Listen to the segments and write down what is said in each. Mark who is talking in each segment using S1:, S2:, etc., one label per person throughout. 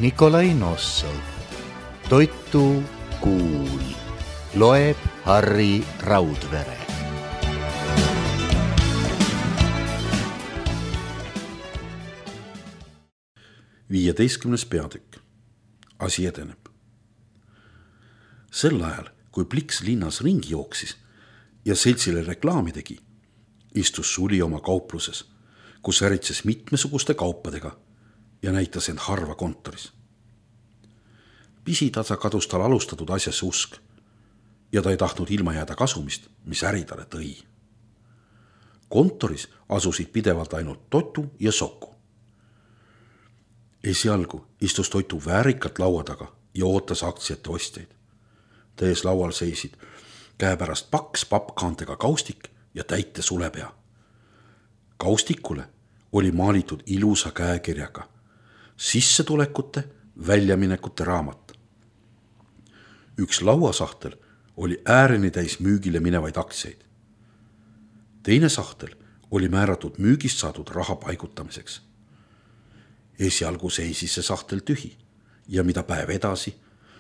S1: Nikolai Nossov. Toitu kuul. Loeb Harri Raudvere.
S2: Viieteistkümnes peatükk. Asi edeneb. Sel ajal, kui Pliks linnas ringi jooksis ja seltsile reklaami tegi, istus Suli oma kaupluses, kus äritses mitmesuguste kaupadega ja näitas end harva kontoris. Pisitasa kadus tal alustatud asjasse usk ja ta ei tahtnud ilma jääda kasumist, mis äri talle tõi. Kontoris asusid pidevalt ainult Totu ja Soku. Esialgu istus Totu väärikalt laua taga ja ootas aktsiate ostjaid. Tees laual seisid käepärast paks pappkaantega kaustik ja täite sulepea. Kaustikule oli maalitud ilusa käekirjaga sissetulekute, väljaminekute raamat. Üks lauasahtel oli ääreni täis müügile minevaid aktsiaid. Teine sahtel oli määratud müügist saadud raha paigutamiseks. Esialgu seisis see sahtel tühi ja mida päev edasi,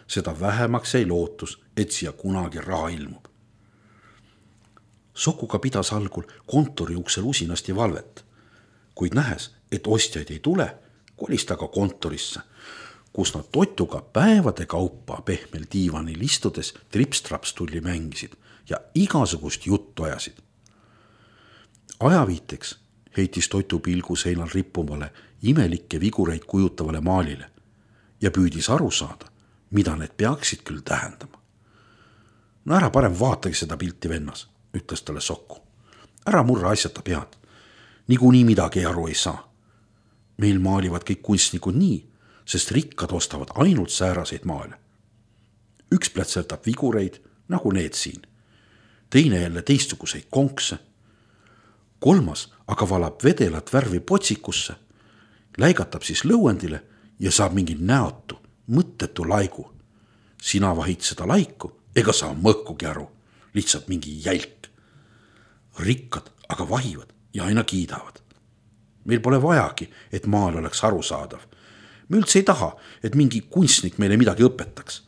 S2: seda vähemaks jäi lootus, et siia kunagi raha ilmub. Sokuga pidas algul kontori uksel usinasti valvet, kuid nähes, et ostjaid ei tule, kolis ta ka kontorisse, kus nad Totuga päevade kaupa pehmel diivanil istudes trips-traps-tulli mängisid ja igasugust juttu ajasid. Ajaviiteks heitis Totu pilgu seinal rippuvale imelikke vigureid kujutavale maalile ja püüdis aru saada, mida need peaksid küll tähendama. No ära parem vaatagi seda pilti, vennas, ütles talle Soku. Ära murra asjata pead. Niikuinii midagi aru ei saa. Meil maalivad kõik kunstnikud nii, sest rikkad ostavad ainult sääraseid maale. Üks plätsertab vigureid, nagu need siin. Teine jälle teistsuguseid konkse. Kolmas aga valab vedelat värvi potsikusse, läigatab siis lõuendile ja saab mingi näotu, mõttetu laigu. Sina vahid seda laiku, ega saa mõhkugi aru, lihtsalt mingi jälk. Rikkad aga vahivad ja aina kiidavad. Meil pole vajagi, et maal oleks arusaadav. Me üldse ei taha, et mingi kunstnik meile midagi õpetaks.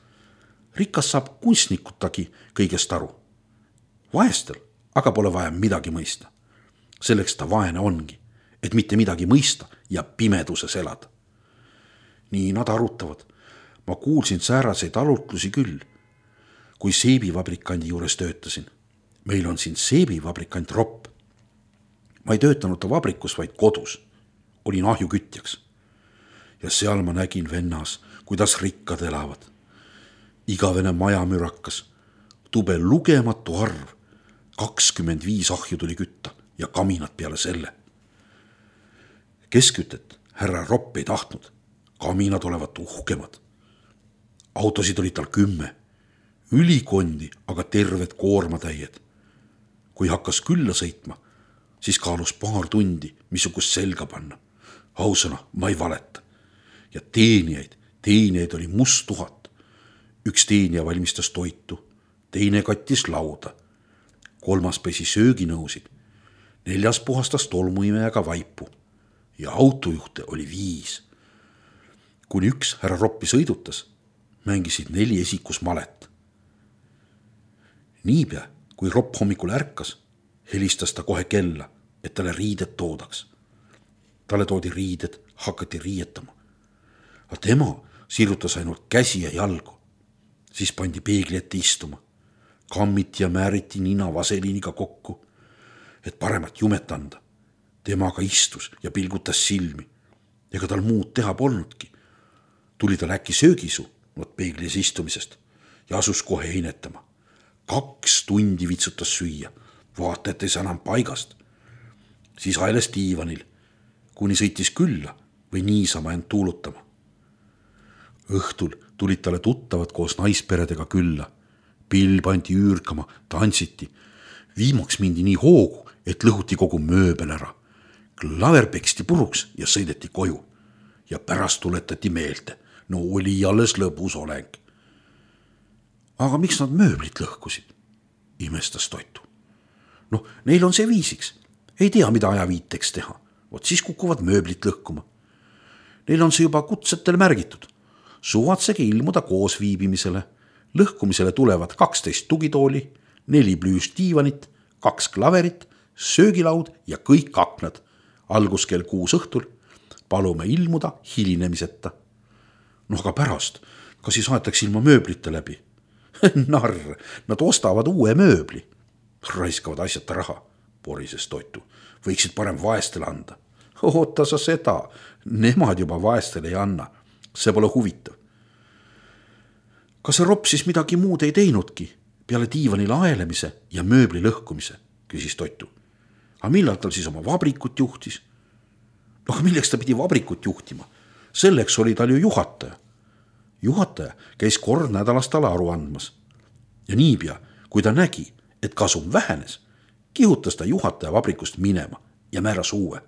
S2: Rikas saab kunstnikutagi kõigest aru. Vaestel aga pole vaja midagi mõista. Selleks ta vaene ongi, et mitte midagi mõista ja pimeduses elada. Nii nad arutavad. Ma kuulsin sääraseid arutlusi küll, kui seebivabrikandi juures töötasin. Meil on siin seebivabrikant Ropp. Ma ei töötanud ta vabrikus, vaid kodus. Olin ahjukütjaks. Ja seal ma nägin, vennas, kuidas rikkad elavad. Igavene majamürakas, tube lugematu arv, 25 ahju tuli kütta ja kaminad peale selle. Keskütet härra Ropp ei tahtnud, kaminad olevat uhkemad. Autosid oli tal 10, ülikondi aga terved koormatäied. Kui hakkas külla sõitma, siis kaalus paar tundi, missugust selga panna. Ausõna, ma ei valeta. Ja teenijaid oli must 1000. Üks teenija valmistas toitu, teine kattis lauda, 3. pesi sööginõusid, 4. puhastas tolmuimejaga vaipu ja autojuhte oli 5. Kuni üks härra Roppi sõidutas, mängisid 4 esikus malet. Niipea, kui Ropp hommikul ärkas, helistas ta kohe kella, et talle riided toodaks. Talle toodi riided, hakati riietama. Aga tema sirutas ainult käsi ja jalgu. Siis pandi peegli ette istuma. Kammiti ja määriti nina vaseliiniga kokku, et paremat jumet anda. Tema aga istus ja pilgutas silmi. Ega tal muud teha polnudki. Tuli tal äkki söögisu peeglis istumisest ja asus kohe einetama. 2 tundi vitsutas süüa, vaata, et ei saa enam paigast. Siis aeles diivanil, kuni sõitis külla või niisama end tuulutama. Õhtul tulid talle tuttavad koos naisperedega külla. Pill pandi üürkama, tantsiti. Viimaks mindi nii hoogu, et lõhuti kogu mööbel ära. Klaver peksti puruks ja sõideti koju. Ja pärast tuletati meelde. No oli alles lõbus oleng. Aga miks nad mööblit lõhkusid? Imestas Totu. Neil on see viisiks. Ei tea, mida ajaviiteks teha. Vot siis kukuvad mööblit lõhkuma. Neil on see juba kutsetel märgitud. suvatsege ilmuda koos viibimisele. Lõhkumisele tulevad 12 tugitooli, 4 plüüsdiivanit, 2 klaverit, söögilaud ja kõik aknad. Algus kell 6 õhtul. Palume ilmuda hilinemiseta. Aga pärast, kas siis aetakse ilma mööblite läbi? Narr, nad ostavad uue mööbli. Raiskavad asjata raha, porises Toitu. Võiksid parem vaestele anda. Oota sa seda, nemad juba vaestele ei anna. See pole huvitav. Kas see ropp siis midagi muud ei teinudki peale diivanile aelemise ja mööbli lõhkumise, küsis Toitu. Aga millal tal siis oma vabrikut juhtis? Milleks ta pidi vabrikut juhtima? Selleks oli tal ju juhataja. Juhataja käis kord nädalas talle aru andmas. Ja niipea, kui ta nägi, et kasum vähenes, kihutas ta juhataja vabrikust minema ja määras uue.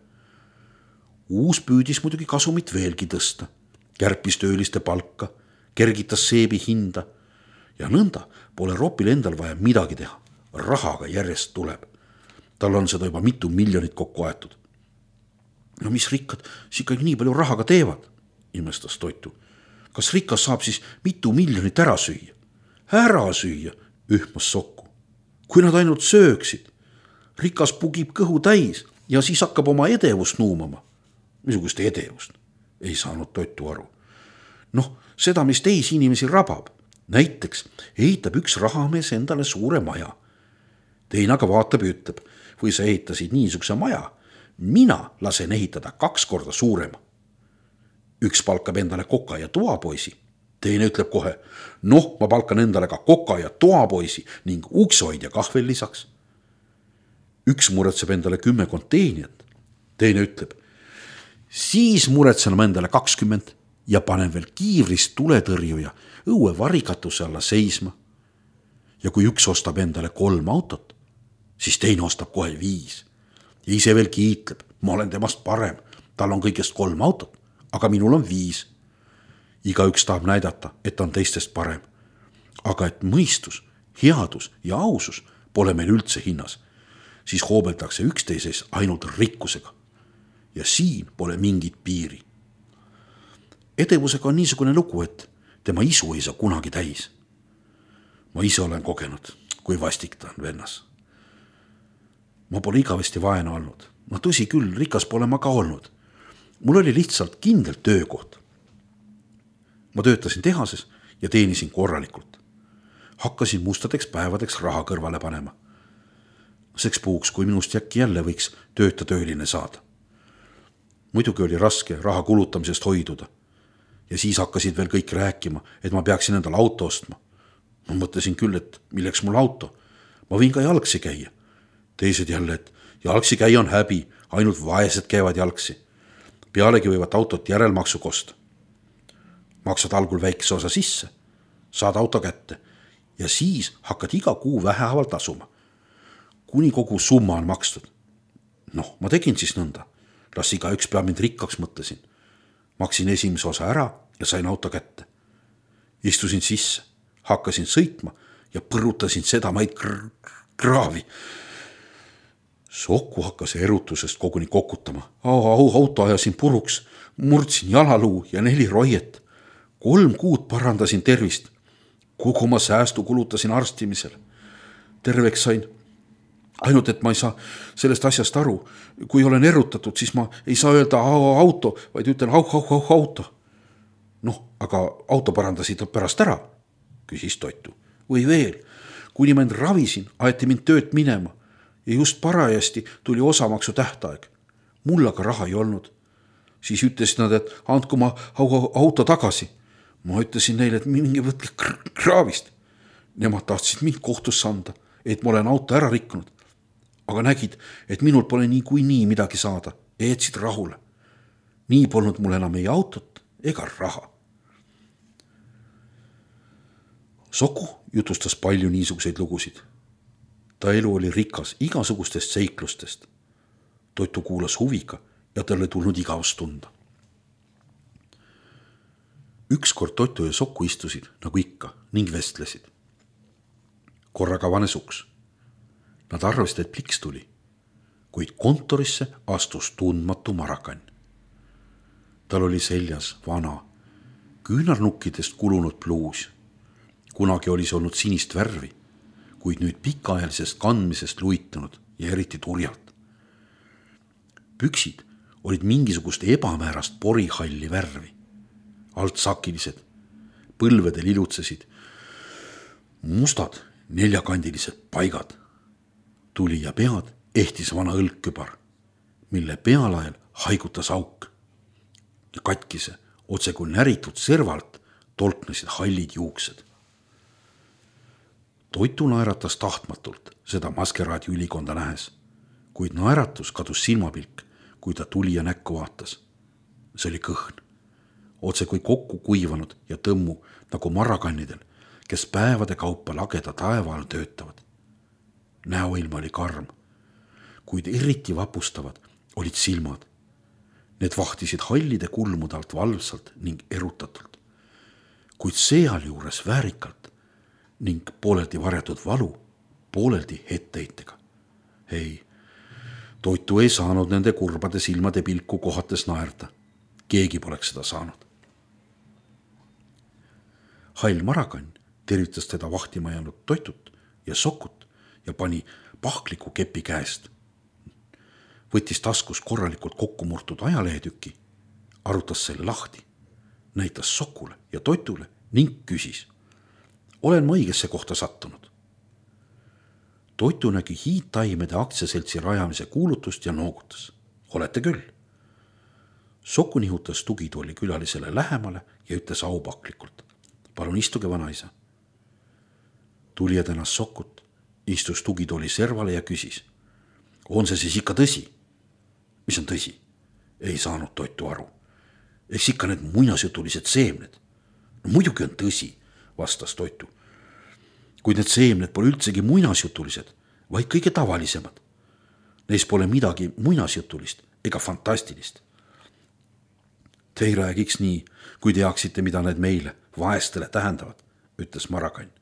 S2: Uus püüdis muidugi kasumit veelgi tõsta. Kärpis tööliste palka, kergitas seebi hinda ja nõnda pole ropil endal vaja midagi teha. Rahaga järjest tuleb. Tal on seda juba mitu miljonit kokku aetud. Mis rikkad siis ikkagi nii palju rahaga teevad, imestas Toitu. Kas rikas saab siis mitu miljonit ära süüa? Ära süüa, ühmas Sokku. Kui nad ainult sööksid. Rikas pugib kõhu täis ja siis hakkab oma edevust nuumama. Missugust edevust? Ei saanud Toitu aru. Seda, mis teisi inimesi rabab. Näiteks ehitab üks rahamees endale suure maja. Teine aga vaatab ja ütleb, või sa ehitasid niisuguse maja, mina lasen ehitada 2 korda suurema. Üks palkab endale koka ja toapoisi. Teine ütleb kohe, ma palkan endale ka koka ja toapoisi ning uksehoidja kahvel lisaks. Üks muretseb endale 10 konteenijat. Teine ütleb, siis muretsen endale 20 ja panen veel kiivrist tuletõrjuja õue varikatuse alla seisma. Ja kui üks ostab endale 3 autot, siis teine ostab kohe 5. Ja ise veel kiitleb, ma olen temast parem, tal on kõigest 3 autot, aga minul on 5. Igaüks tahab näidata, et on teistest parem. Aga et mõistus, headus ja ausus pole meil üldse hinnas, siis hoobeldakse üksteises ainult rikkusega. Ja siin pole mingit piiri. Edevusega on niisugune lugu, et tema isu ei saa kunagi täis. Ma ise olen kogenud, kui vastik ta on vennas. Ma pole igavesti vaene olnud. Tõsi küll, rikas pole ma ka olnud. Mul oli lihtsalt kindel töökoht. Ma töötasin tehases ja teenisin korralikult. Hakkasin mustadeks päevadeks raha kõrvale panema. Seks puhuks, kui minust äkki jälle võiks tööline saada. Muidugi oli raske raha kulutamisest hoiduda. Ja siis hakkasid veel kõik rääkima, et ma peaksin endale auto ostma. Ma mõtlesin küll, et milleks mul auto. Ma võin ka jalgsi käia. Teised jälle, et jalgsi käia on häbi, ainult vaesed käivad jalgsi. Pealegi võivad autot järelmaksu kosta. Maksad algul väikese osa sisse, saad auto kätte ja siis hakkad iga kuu vähehaaval tasuma. Kuni kogu summa on makstud. Ma tegin siis nõnda. Las igaüks peab mind rikkaks, mõtlesin. Maksin esimese osa ära ja sain auto kätte. Istusin sisse, hakkasin sõitma ja põrutasin seda maid kraavi. Sokku hakkas erutusest koguni kokutama. Auto ajasin puruks, murdsin jalaluu ja 4 roiet. 3 kuud parandasin tervist. Kogu oma säästu kulutasin arstimisel. Terveks sain. Ainult, et ma ei saa sellest asjast aru. Kui olen erutatud, siis ma ei saa öelda auto, vaid ütlen auto. Aga auto parandasid pärast ära, küsis Toitu. Või veel, kuni ma end ravisin, aeti mind töölt minema ja just parajasti tuli osamaksu tähtaeg. Mul aga raha ei olnud. Siis ütlesid nad, et andku ma auto tagasi. Ma ütlesin neile, et minge võtke kraavist. Nemad tahtsid mind kohtusse anda, et ma olen auto ära rikkunud. Aga nägid, et minul pole nii midagi saada ja jätsid rahule. Nii polnud mul enam ei autot ega raha. Soku jutustas palju niisuguseid lugusid. Ta elu oli rikas igasugustest seiklustest. Toitu kuulas huviga ja talle tulnud igavust tunda. Ükskord Toitu ja Sokku istusid nagu ikka ning vestlesid. Korraga avanes uks. Nad arvasid, et pliks tuli, kuid kontorisse astus tundmatu marakann. Tal oli seljas vana, küünarnukkidest kulunud pluus. Kunagi oli see olnud sinist värvi, kuid nüüd pikaajalisest kandmisest luitunud ja eriti turjalt. Püksid olid mingisugust ebamäärast porihalli värvi. Altsakilised, põlvedel ilutsesid mustad neljakandilised paigad. Tuli ja pead ehtis vana õlgkübar, mille pealael haigutas auk. Ja katkise, otse kui näritud servalt tolknesid hallid juuksed. Toitu naeratas tahtmatult seda maskeraadi ülikonda nähes, kuid naeratus kadus silmapilk, kui ta tuli ja näkku vaatas. See oli kõhn, otse kui kokku kuivanud ja tõmmu nagu marrakannidel, kes päevade kaupa lageda taeva all töötavad. Näoilm oli karm, kuid eriti vapustavad olid silmad. Need vahtisid hallide kulmude alt valvsalt ning erutatult, kuid sealjuures väärikalt ning pooleldi varjatud valu, pooleldi etteheitega. Ei, Toitu ei saanud nende kurbade silmade pilku kohates naerda. Keegi poleks seda saanud. Hall marakann tervitas teda vahtima jäänud Toitut ja Sokut ja pani pahkliku kepi käest. Võttis taskus korralikult kokkumurtud ajalehetüki, arutas selle lahti, näitas Sokule ja Toitule ning küsis. Olen ma õigesse kohta sattunud? Toitu nägi hiidtaimede aktsiaseltsi rajamise kuulutust ja noogutas. Olete küll. Soku nihutas tugitooli külalisele lähemale ja ütles aupaklikult. Palun istuge, vanaisa. Tulija tänas Sokut, istus tugitooli servale ja küsis. On see siis ikka tõsi? Mis on tõsi? Ei saanud Toitu aru. Eks ikka need muinasjutulised seemned. No, muidugi on tõsi, vastas Toitu. Kuid need seemned pole üldsegi muinasjutulised, vaid kõige tavalisemad. Neis pole midagi muinasjutulist ega fantastilist. Te ei räägiks nii, kui teaksite, mida need meile, vaestele tähendavad, ütles marakann.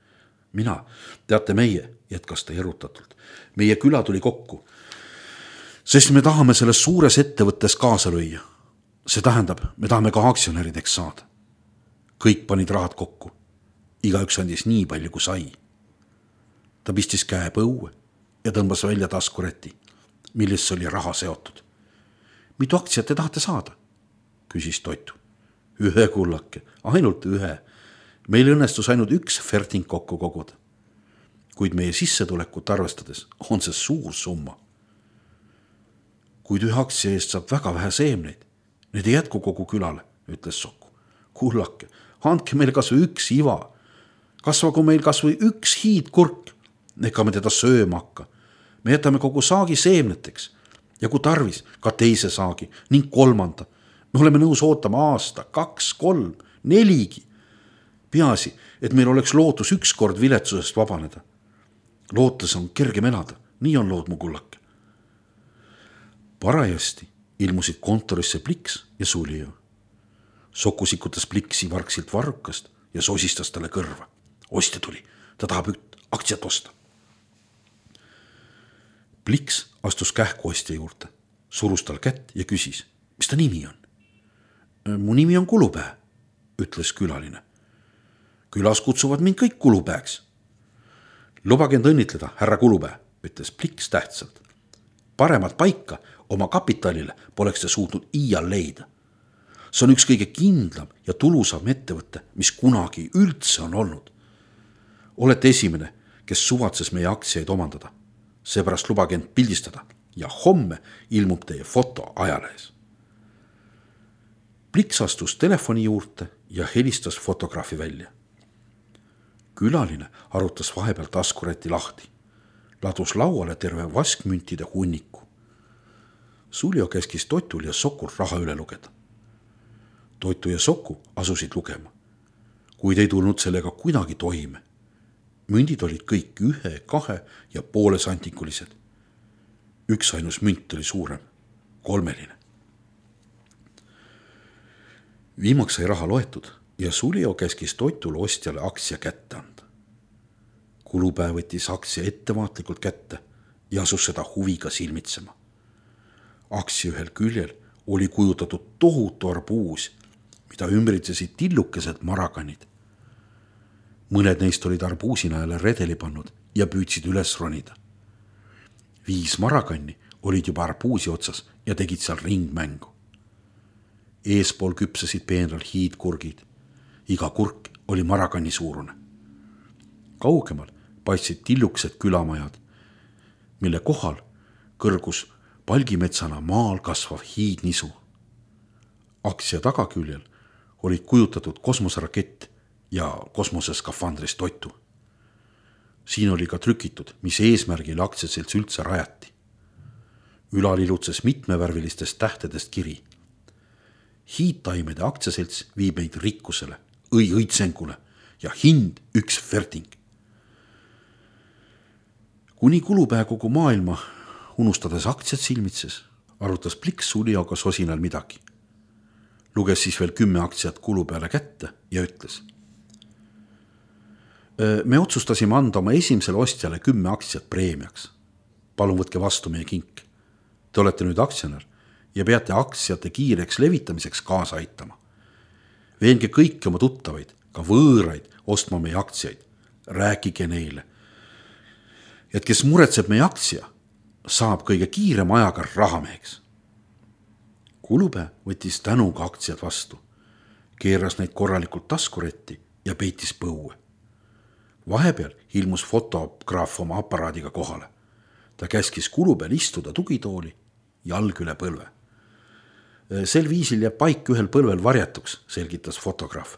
S2: Mina, teate meie, jätkas ta erutatult. Meie küla tuli kokku, sest me tahame selles suures ettevõttes kaasa lüüa. See tähendab, me tahame ka aktsionärideks saada. Kõik panid rahad kokku. Igaüks andis nii palju, kui sai. Ta pistis käe põue ja tõmbas välja taskureti, millesse oli raha seotud. Mitu aktsiat te tahate saada? Küsis Toitu. Ühe kullake, ainult ühe. Meil õnnestus ainult üks ferting kokku koguda. Kuid meie sissetulekut arvestades on see suur summa. Kuid ühe aktsia eest saab väga vähe seemneid. Need ei jätku kogu külale, ütles Soku. Kullake, andke meil kas või üks iva. Kasvagu meil kas või üks hiidkurk. Ega me teda sööma hakka. Me jätame kogu saagi seemneteks ja kui tarvis, ka teise saagi ning kolmanda. Me oleme nõus ootama aasta, 2, 3, 4. Peaasi, et meil oleks lootus ükskord viletsusest vabaneda. Lootes on kergem elada, nii on lood mu kullake. Parajasti ilmusid kontorisse Pliks ja Sulio. Soku sikutas Pliksi vargsilt varrukast ja sosistas talle kõrva. Ostja tuli, ta tahab aktsiat osta. Pliks astus kähku ostja juurde, surus tal kätt ja küsis, mis ta nimi on? Mu nimi on Kulupää, ütles külaline. Külas kutsuvad mind kõik Kulupääks. Lubage end õnnitleda, härra Kulupää, ütles Pliks tähtsalt. Paremat paika oma kapitalile poleks te suutnud iial leida. See on üks kõige kindlam ja tulusam ettevõte, mis kunagi üldse on olnud. Olete esimene, kes suvatses meie aktsiaid omandada. Seepärast lubage end pildistada ja homme ilmub teie foto ajalehes. Pliks astus telefoni juurde ja helistas fotograafi välja. Külaline arutas vahepeal taskureti lahti. Ladus lauale terve vaskmüntide hunniku. Suljo käskis Toitul ja Sokul raha üle lugeda. Toitu ja Soku asusid lugema, kuid ei tulnud sellega kuidagi toime. Mündid olid kõik 1, 2 ja poole santikulised. Üks ainus münt oli suurem, 3. Viimaks sai raha loetud ja Suljo käskis Toitul ostjale aktsia kätte anda. Kulupää võttis aktsia ettevaatlikult kätte ja asus seda huviga silmitsema. Aktsia ühel küljel oli kujutatud tohutu arbuus mida ümbritsesid tillukesed marakanid. Mõned neist olid arbuusinajale redeli pannud ja püüdsid üles ronida. 5 marakanni olid juba arbuusi otsas ja tegid seal ringmängu. Eespool küpsesid peenral hiidkurgid. Iga kurk oli marakanni suurune. Kaugemal paistsid tillukesed külamajad, mille kohal kõrgus palgimetsana maal kasvav hiidnisu. Aktsia tagaküljel olid kujutatud kosmoserakett ja kosmoseskafandris toitu. Siin oli ka trükitud, mis eesmärgil aktsiaselts üldse rajati. Ülal ilutses mitmevärvilistest tähtedest kiri. Hiidtaimede aktsiaselts viib meid rikkusele, õitsengule ja hind 1 ferting. Kuni kulupää kogu maailma, unustades aktsiat silmitses, arutas Pliks Sulioga sosinal midagi. Luges siis veel 10 aktsiat kulupeale kätte ja ütles. Me otsustasime anda oma esimesele ostjale 10 aktsiat preemiaks. Palun võtke vastu meie kink. Te olete nüüd aktsionär ja peate aktsiate kiireks levitamiseks kaasa aitama. Veenge kõiki oma tuttavaid, ka võõraid, ostma meie aktsiaid. Rääkige neile. Et kes muretseb meie aktsia, saab kõige kiirema ajaga rahameheks. Kulupää võttis tänuga aktsiad vastu, keeras neid korralikult taskuretti ja peitis põue. Vahepeal ilmus fotograaf oma aparaadiga kohale. Ta käskis Kulupeal istuda tugitooli, jalg üle põlve. Sel viisil jääb paik ühel põlvel varjatuks, selgitas fotograaf.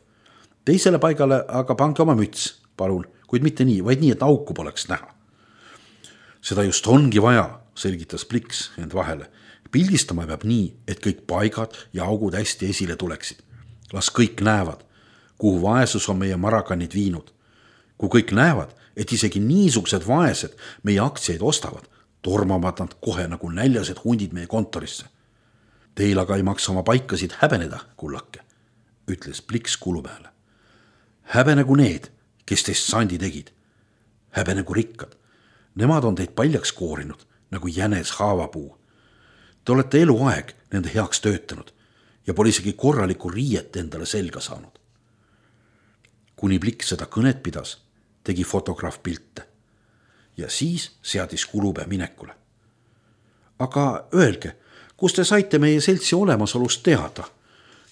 S2: Teisele paigale aga pange oma müts, palun, kuid mitte nii, vaid nii, et auku poleks näha. Seda just ongi vaja, selgitas Pliks end vahele. Pildistama peab nii, et kõik paigad ja augud hästi esile tuleksid. Las kõik näevad, kuhu vaesus on meie marakanid viinud. Kui kõik näevad, et isegi niisugused vaesed meie aktsiaid ostavad, tormavad nad kohe nagu näljased hundid meie kontorisse. Teil aga ei maksa oma paikasid häbeneda, kullake, ütles Pliks Kulupeale. Häbenegu need, kes teist sandi tegid. Häbenegu rikkad. Nemad on teid paljaks koorinud, nagu jänes haavapuu. Te olete eluaeg nende heaks töötanud ja pole isegi korralikku riiet endale selga saanud. Kuni Pliks seda kõnet pidas, tegi fotograaf pilte ja siis seadis Kulupää minekule. Aga öelge, kus te saite meie seltsi olemasolust teada,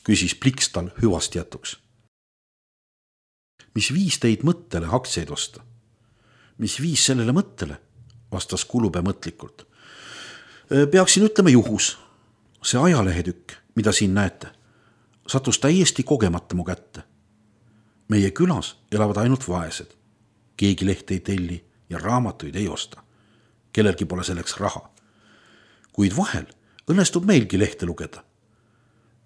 S2: küsis Pliks tal hüvast jätuks. Mis viis teid mõttele aktsiaid osta? Mis viis sellele mõttele, vastas Kulupää mõtlikult. Peaksin ütlema juhus. See ajalehetükk, mida siin näete, sattus täiesti kogemata mu kätte. Meie külas elavad ainult vaesed. Keegi lehte ei telli ja raamatuid ei osta. Kellelgi pole selleks raha. Kuid vahel õnnestub meilgi lehte lugeda.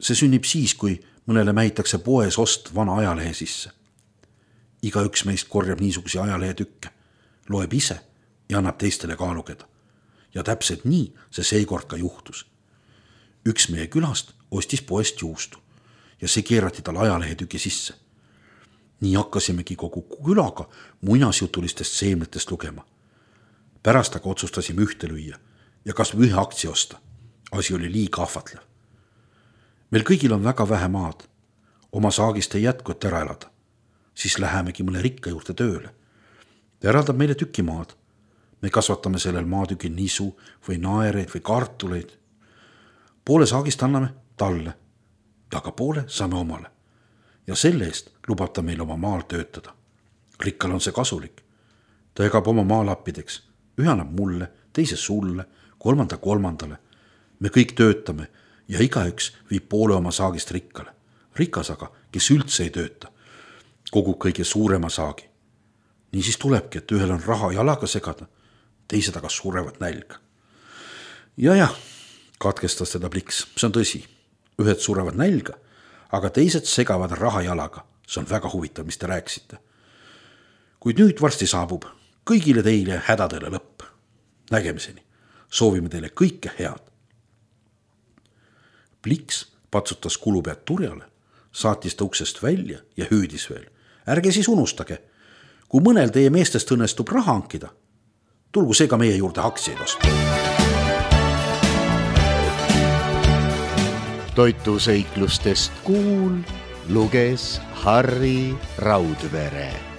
S2: See sünnib siis, kui mõnele mähitakse poes ost vana ajalehe sisse. Igaüks meist korjab niisugusi ajalehetükke, loeb ise ja annab teistele ka lugeda. Ja täpselt nii see seekord ka juhtus. Üks meie külast ostis poest juustu ja see keerati tal ajalehetüki sisse. Nii hakkasimegi kogu külaga muinasjutulistest seemnetest lugema. Pärast aga otsustasime ühte lüüa ja kas ühe aktsia osta. Asi oli liiga ahvatlev. Meil kõigil on väga vähe maad. Oma saagist ei jätku, et ära elada. Siis lähemegi mõne rikka juurde tööle. Ta eraldab meile tükimaad. Me kasvatame sellel maatükil nisu või naereid või kartuleid. Poole saagist anname talle ja ka poole saame omale. Ja selle eest lubab ta meil oma maal töötada. Rikkal on see kasulik. Ta jagab oma maalappideks. Ühe annab mulle, teise sulle, kolmandale. Me kõik töötame ja igaüks viib poole oma saagist rikkale. Rikas aga, kes üldse ei tööta, kogub kõige suurema saagi. Nii siis tulebki, et ühel on raha jalaga segada, teised aga surevad nälga. Ja, katkestas teda Pliks, see on tõsi. Ühed surevad nälga, aga teised segavad raha jalaga. See on väga huvitav, mis te rääkisite. Kuid nüüd varsti saabub kõigile teile hädadele lõpp. Nägemiseni. Soovime teile kõike head. Pliks patsutas Kulupead turjale, saatis ta uksest välja ja hüüdis veel. Ärge siis unustage, kui mõnel teie meestest õnnestub raha hankida, tulgu see ka meie juurde aktsiaid osta.
S1: toituseiklustest kuul luges Harri Raudvere.